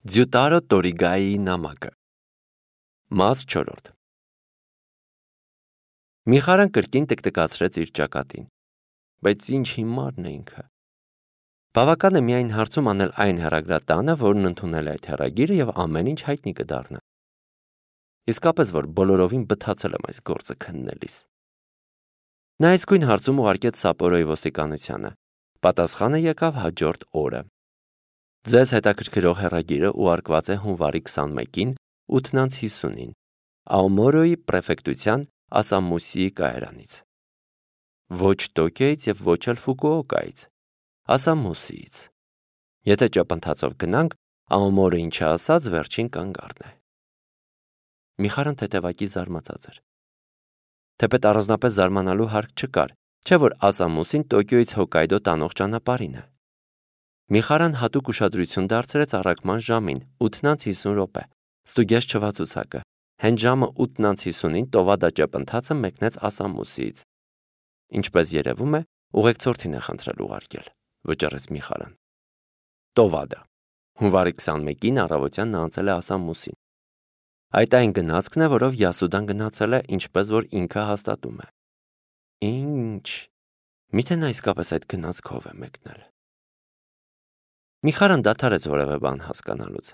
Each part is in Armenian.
Ձյուտարո Տորիգայի նամակը Մաս 4 Միխարան կրկին տկտկացրեց իր ճակատին, բայց ինչ հիմարն է ինքը։ Բավական է միայն հարցում անել այն հեռագրատանը, որն ընդունել է այդ հեռագիրը և ամեն ինչ հայտնի կդառնա։ Իսկապես որ բոլորովին բթացել եմ այս գործը քննելիս։ Նա իսկույն հարցում ուղարկեց Սապորոյի ոստիկանությանը։ Պատասխանը եկավ հաջորդ օրը։ Ձեզ հետաքրքրող հեռագիրը ուղարկված է հունվարի 21-ին 8:50-ին Աոմորոյի պրեֆեկտության Ասամուսիի կայարանից։ Ոչ Տոկիոյից և ոչ էլ Ֆուկուոկայից, Ասամուսիից։ Եթե ճապընթացով գնանք, Աոմորը ինչը ասած վերջին կանգառն է։ Միխարան թեթևակի զարմացած էր։ Թեպետ առանձնապես զարմանալու հարկ չկար, չէ՞ որ Ասամուսին Տոկիոյից Հոկկայդո տանող ճանապարհին է։ Միխարան հատուկ ուշադրություն դարձրեց առաքման ժամին 8:50, ստուգեց չվացուցակը։ Հենց ժամը 8:50-ին Տովադա ճեպընթացը մեկնեց Ասամուսիից։ Ինչպես երևում է, ուղեկցորդին է խնդրել ուղարկել, վճռեց Միխարան։ Տովադա։ Հունվարի 21-ին առավոտյան նա անցել է Ասամուսին։ Այդ այն գնացքն է, որով Յասուդան գնացել է, ինչպես որ ինքը հաստատում է։ Ինչ։ Միթե նա իսկապես այդ գնացքով է մեկնել։ Միխարան դադարեց որևէ բան հասկանալուց։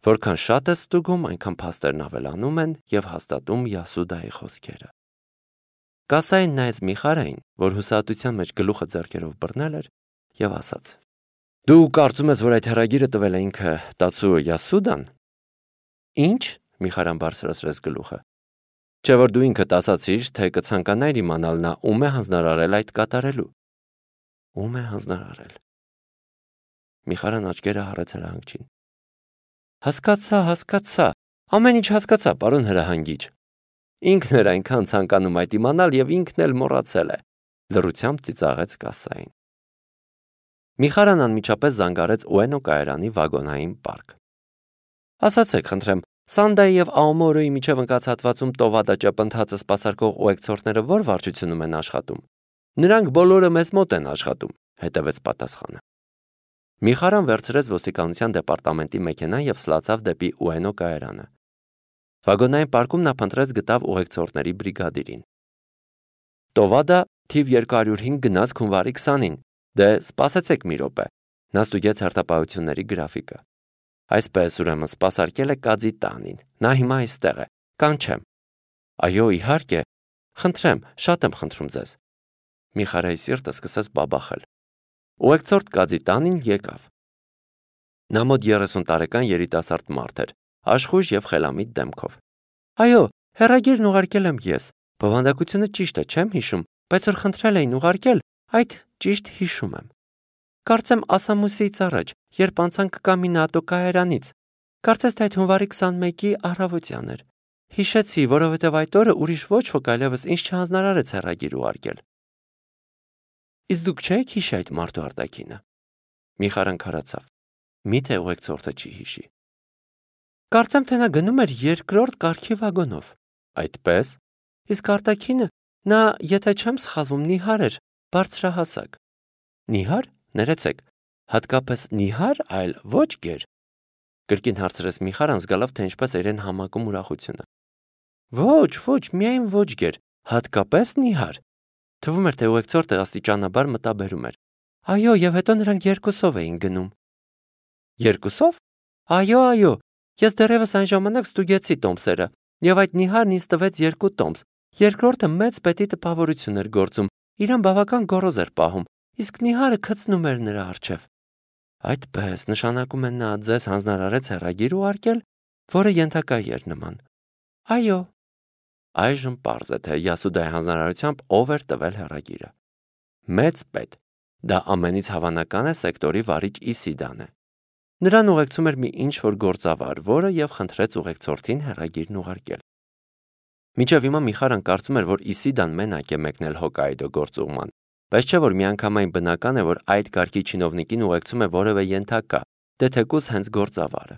Որքան շատ է ստուգում, այնքան փաստերն ավելանում են և հաստատում Յասուդայի խոսքերը։ Կասային նայեց Միխարային, որ հուսահատության մեջ գլուխը ձեռքերով բռնել էր, և ասաց. Դու կարծում ես, որ այդ հեռագիրը տվել է ինքը Տացուո Յասուդան։ Ինչ։ Միխարան բարձրացրեց գլուխը։ Չէ՞ որ դու ինքդ ասացիր, թե կցանկանայիր իմանալ նա ում է հանձնարարել այդ կատարելու։ Ում է հանձնարարել։ Միխարան աչքերը հառեց հրահանգչին։ Հասկացա, ամեն ինչ հասկացա, պարոն հրահանգիչ։ Ինքն էր այնքան ցանկանում այդ իմանալ և ինքն էլ մոռացել է, լռությամբ ծիծաղեց կասային։ Միխարան անմիջապես զանգարեց Ուենո կայարանի վագոնային պարկ։ Ասացեք, խնդրեմ, Սանդայի և Աոմորոյի միջև ընկած հատվածում Տովադա ճեպընթացը սպասարկող ուղեկցորդները ո՞ր վարչությունում են աշխատում։ Նրանք բոլորը մեզ մոտ են աշխատում, հետևեց պատասխանը։ Միխարան վերցրեց ոստիկանության դեպարտամենտի մեքենան և սլացավ դեպի Ուենո կայարանը։ Վագոնային պարկում նա փնտրեց գտավ ուղեկցորդների բրիգադիրին։ Տովադա թիվ 205 գնաց հունվարի 20-ին։ Դե սպասեցեք մի րոպե։ Նա ստուգեց հերթապահությունների գրաֆիկը։ Այսպես ուրեմն սպասարկել է Կաձի տանին։ Նա հիմա այստեղ է։ Կանչեմ։ Այո, իհարկե։ Խնդրեմ, շատ եմ խնդրում ձեզ։ Միխարայի սիրտը սկսեց բաբախել։ Ուղեկցորդ Կաձի տանին եկավ։ Նա մոտ 30 տարեկան երիտասարդ մարդ էր, աշխույժ և խելամիտ դեմքով։ Այո, հեռագիրն ուղարկել եմ ես։ Բովանդակությունը ճիշտ է, չեմ հիշում, բայց որ խնդրել էին ուղարկել, այդ ճիշտ հիշում եմ։ Կարծեմ Ասամուսիից առաջ, երբ անցանք Կամինատո կայարանից։ Կարծես թե այդ հունվարի 21-ի առավոտյան էր։ Հիշեցի, որովհետև այդ օրը ուրիշ ոչ ոք այլևս ինձ չհանձնարարեց հեռագիր ուղարկել։ Իսկ դուք չեք հիշի այդ մարդու արտաքինը։ Միխարան քարացավ։ Միթե ուղեկցորդը չի հիշի։ Կարծեմ թե նա գնում էր 2-րդ կարգի վագոնով։ Այդպես։ Իսկ արտաքինը նա, եթե չեմ սխալվում, նիհար էր, բարձրահասակ։ Նիհար։ Ներեցեք, հատկապես նիհար, այլ ոչ գեր։ Կրկին հարցրեց Միխարան, զգալով, թե ինչպես իրեն համակում ուրախությունը։ Ոչ, միայն ոչ գեր, հատկապես նիհար։ Թվում էր, թե ուղեկցորդը աստիճանաբար մտաբերում էր։ Այո, և հետո նրանք 2-ով էին գնում։ 2-ով։ Այո, ես դեռևս այն ժամանակ ստուգեցի տոմսերը, և այդ նիհարն ինձ տվեց 2 տոմս։ Երկրորդը մեծ պետի տպավորություն էր գործում, իրան բավական գոռոզ էր պահում, իսկ նիհարը քցնում էր նրա առջև։ Այդպես, նշանակում է նա ձեզ հանձնարարեց հեռագիր ուղարկել, որը ենթակա էր նման։ Այո։ Այժմ պարզ է, թե Յասուդայի հանձնարարությամբ ով էր տվել հեռագիրը։ Մեծ պետ։ Դա ամենից հավանական է սեկտորի վարիչ Իսիդան է։ Նրան ուղեկցում էր մի ինչ-որ գործավար, որը և խնդրեց ուղեկցորդին հեռագիրն ուղարկել։ Մինչև հիմա Միխարան կարծում էր, որ Իսիդան մենակ է մեկնել Հոկկայդո գործուղման, բայց չէ որ միանգամայն բնական է, որ այդ կարգի չինովնիկին ուղեկցում է որևէ ենթակա, դե թեկուզ հենց գործավարը։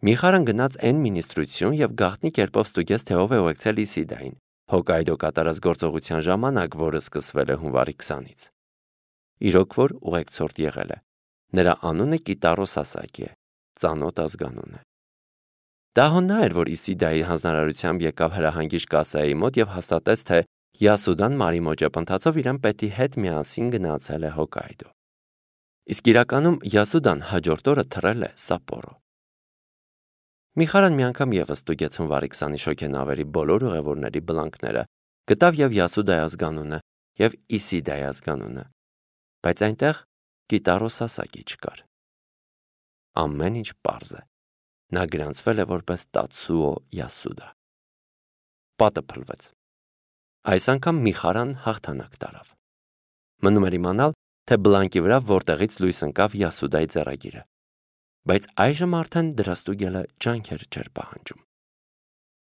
Միխարան գնաց N մինիստրություն և գաղտնի կերպով ստուգեց, թե ով է ուղեկցել Իսիդային Հոկկայդո կատարած գործողության ժամանակ, որը սկսվել է հունվարի 20-ից։ Իրոք որ ուղեկցորդ եղել է։ Նրա անունը Կիտարո Սասակի է։ ծանոթ ազգանուն է։ Դա հոննա էր, որ Իսիդայի հանձնարարությամբ եկավ հրահանգիչ Կասեայի մոտ եւ հաստատեց, թե Յասուդան Մարիմոջապ ընթացով իրեն պետի հետ միասին գնացել է Հոկայդո։ Իսկ իրականում Յասուդան հաջորդ օրը թռել է Սապորո։ Միխարան մի անգամ եւս ստուգեցուն Վարիքսանի շոգենավերի բոլոր ուղևորների բլանքները, գտավ եւ Յասուդայի ազգանունը եւ Իսիդայի ազգանունը, բայց այնտեղ Կիտարոս ասակի չկար։ Ամեն ինչ պարզ է։ Նա գրանցվել է որպես Տացուո Յասուդա։ Պատը փլվեց։ Այս անգամ Միխարան հաղթանակ տարավ։ Մնում էր իմանալ, թե բլանկի վրա որտեղից լույս ընկավ Յասուդայի ձեռագիրը, բայց այժմ արդեն դրա ստուգելը ջանքեր չէր պահանջում։